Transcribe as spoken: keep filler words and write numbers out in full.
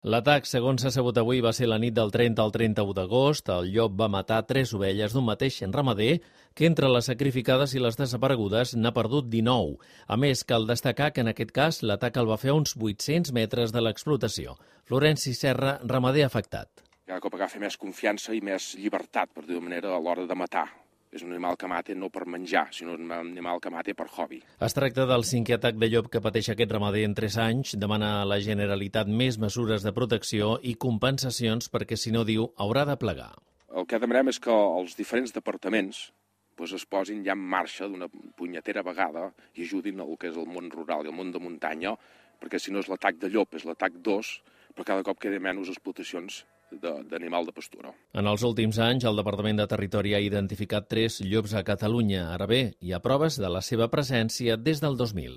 L'atac, segons s'ha sabut avui, va ser la nit del trenta al trenta-u d'agost. El llop va matar tres ovelles d'un mateix ramader que entre les sacrificades i les desaparegudes n'ha perdut dinou. A més, cal destacar que en aquest cas l'atac el va fer a uns vuit-cents metres de l'explotació. Florenci Serra, ramader afectat. Cada cop agafa més confiança i més llibertat, per dir-ho manera, a l'hora de matar. És un animal que mata no per menjar, sinó un animal que mata per hobby. Es tracta del cinquè atac de llop que pateix aquest ramader en tres anys. Demana a la Generalitat més mesures de protecció i compensacions perquè, si no, diu, haurà de plegar. El que demanem és que els diferents departaments doncs, es posin ja en marxa d'una punyetera vegada i ajudin el que és el món rural i el món de muntanya, perquè si no és l'atac de llop, és l'atac d'os, però cada cop queda menys explotacions d'animal de pastura. En els últims anys, el Departament de Territori ha identificat tres llops a Catalunya. Ara bé, hi ha proves de la seva presència des del dos mil.